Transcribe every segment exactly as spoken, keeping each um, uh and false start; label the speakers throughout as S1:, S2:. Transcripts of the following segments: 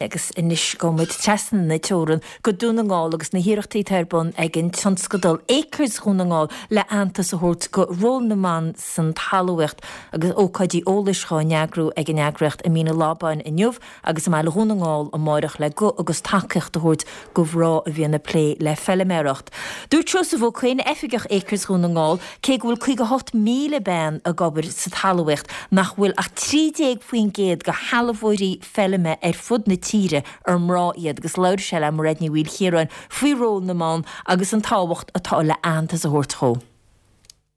S1: Agus anois gabhfaidh muid trasna na teorann go Dún na nGall agus na hiarrachtaí atá ar bun ag an tionscadal Acres Dhún na nGall le aitheantas a thabhairt go ról na mban san talmhaíocht agus ócáidí eolais á n-eagrú ag an eagraíocht i Mín an Lábáin inniu agus i mBaile Dhún na nGall amárach le guth agus tacaíocht a thabhairt go mná a bhíonn ag plé le feilméaracht. Dúirt Seosamh Ó Coinn Oifigeach Acres Dhún na nGall cé go bhfuil caoga hocht míle bean ag obair sa talmhaíocht nach bhfuil ach trí déag faoin gcéad go shealbhóirí feilme ar fud na tíre ar mná iad agus labhair sé le Mairéad Ní Mhaoilchiaráin faoi ról na mban agus an tábhacht atá le aitheantas a thabhairt dó.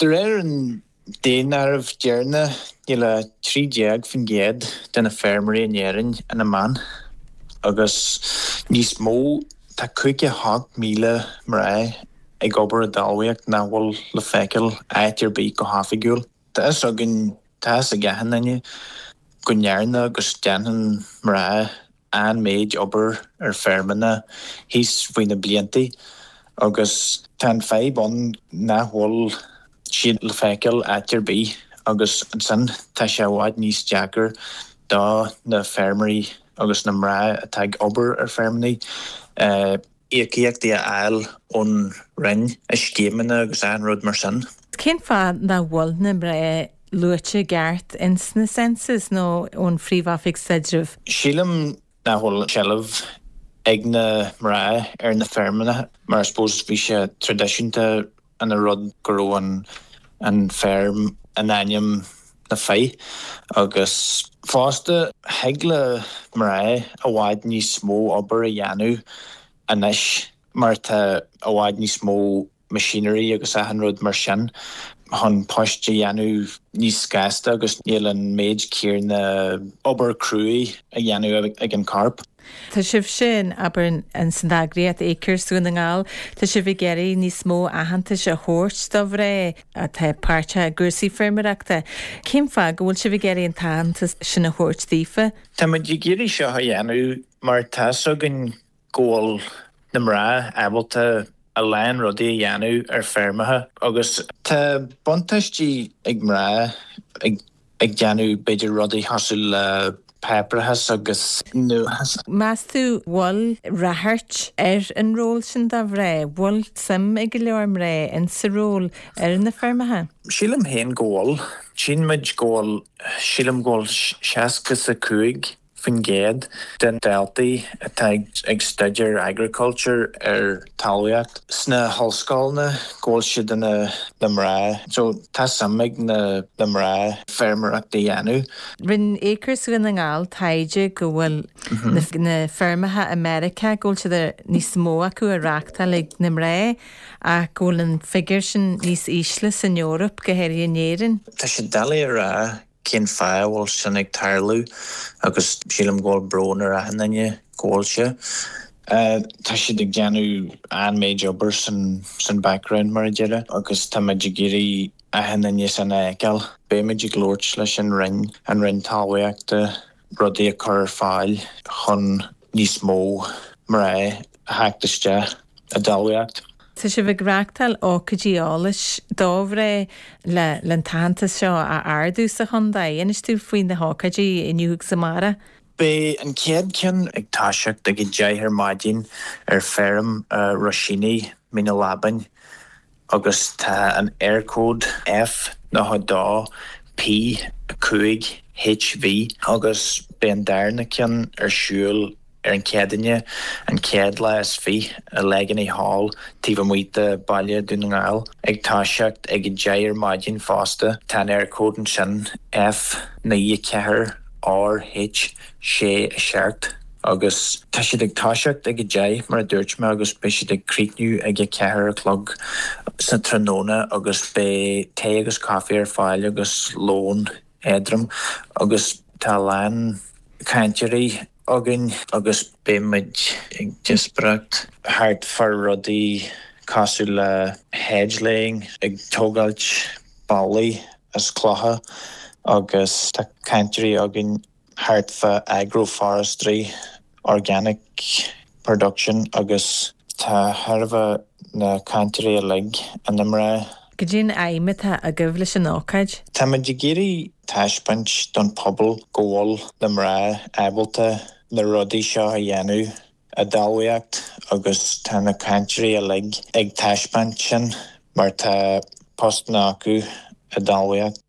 S2: De réir an daonáirimh deireanach níl ach trí déag faoin gcéad de na feirmeoirí in Éirinn ina mban agus níos mó tá caoga hocht míle mná ag obair i dtalmhaíocht nach bhfuil le feiceáil áit ar bith go hoifigiúil. Tá fhios againn tá fhios ag achan duine go ndearna agus déanann mná an méid obair ar feirmeanna thíos faoi na blianta agus tá an fadhb ann nach bhfuil siad le feiceáil áit ar bith agus ansin tá sé i bhfad níos deacair do na feirmeoirí agus na mná atá ag obair ar feirmeanna íocaíochtaí a fháil ón roinn i scéimeanna agus an rud mar sin.
S3: Cén fáth nach bhfuil na mná luaite i gceart in sna census nó ón Phríomh-Oifig Staidrimh?
S2: Sílim nach bhfuil seilbh ag na mná ar na feirmeanna mar I suppose bhí sé traidisiúnta ina rud go raibh an an feirm in ainm na fir agus fosta thig le mná i bhfad níos mó obair a dhéanamh anois mar tá i bhfad níos mó machinery agus achan rud mar sin chun poist a dhéanamh níos gasta agus níl an méid céanna obair cruaidh a dhéanamh ag an corp.
S3: Tá sibh sin abair an san eagraíocht Acres Dhún na nGall, Tá sibh ag iarraidh níos mó aitheantais a thabhairt do mhná atá páirteach i gcúrsaí feirmeoireachta. Cén fáth go bhfuil sibh ag iarraidh an t-aitheantas sin a thabhairt daofa?
S2: Táimid ag iarraidh seo a dhéanamh mar tá fhios againn go bhfuil na mná ábalta a lán rudaí a dhéanamh ar feirmeacha agus tá buntáistí ag mná ag ag déanamh b'fhéidir rudaí cosúil le páipéarachas agus nuachas.
S3: Meas tú bhfuil ráchairt ar an ról sin do mhná, bhfuil suim ag go leor mná in sa ról ar na feirmeacha?
S2: Sílim féin go bhfuil, Tchíonn muid go bhfuil sílim go bhfuil seasca is a cúig faoin gcéad den daltaí atá ag staidéar agriculture ar talmhaíocht sna hollscoileanna go bhfuil siad ina na mná, so tá suim ag na na mná feirmeoireacht a dhéanamh.
S3: Rinne Acres Dhún na nGall taighde go bhfuil na feirmeacha i Meiriceá go bhfuil siad níos mó acu á reáchtáil ag na mná ach go bhfuil an figiúr sin níos ísle san Eoraip go háirithe in Éirinn.
S2: Tá sé doiligh a rá cén fáth a bhfuil sin ag tarlú agus sílim go bhfuil brón ar achan duine go bhfuil sé. Tá siad ag déanamh an méid obair san san background mar a déarfá agus táimid ag iarraidh achan duine sin a fheiceáil. Beimid ag labhairt leis an Roinn an Roinn Talmhaíochta rudaí a chur ar fáil chun níos mó mná a theacht isteach i dtalmhaíocht.
S3: Tá sibh ag reáchtáil ócáidí eolais do mhná le le an t-aitheantas seo a ardú sa chontae. Inis tú faoi na hócáidí inniu agus amárach.
S2: Beidh an chéad cheann ag toiseacht ag a deich ar maidin ar feirm Roisíní Mín an Lábáin agus tá an Eircode F nócha dó P cúig HV agus beidh an darna ceann ar siúl ar an Chéadaoine an chéad lá is fiche i Leganey Hall taobh amuigh de Baile Dún na nGall ag toiseacht ag a deich ar maidin fosta tá an Eircode ansin F naoi ceathair R H sé a seacht agus tá siad ag toiseacht ag a deich mar a dúirt mé agus beidh siad ag críochnú ag a ceathair a chlog sa tráthnóna agus beidh tae agus caife ar fáil agus lón éadrom agus tá lán cainteoirí againn agus beimid ag díospóireacht thart fá rudaí cosúil le hedge laying ag tógáilt ballaí as clocha agus tá cainteoirí againn thart fá agroforestry, organic production agus tá thairbhe na cainteoirí uilig ina mná.
S3: Cad é an aidhm atá agaibh leis an ócáid.
S2: Táimid ag iarraidh taispeáint don pobal go bhfuil na mná ábalta na rudaí seo a dhéanamh i dtalmhaíocht agus tá na cainteoirí uilig ag taispeáint sin mar tá postanna acu i dtalmhaíocht.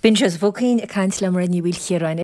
S1: B'in Seosamh Ó Cuinn ag caint le Muireann Ní Mhaoilchiaráin.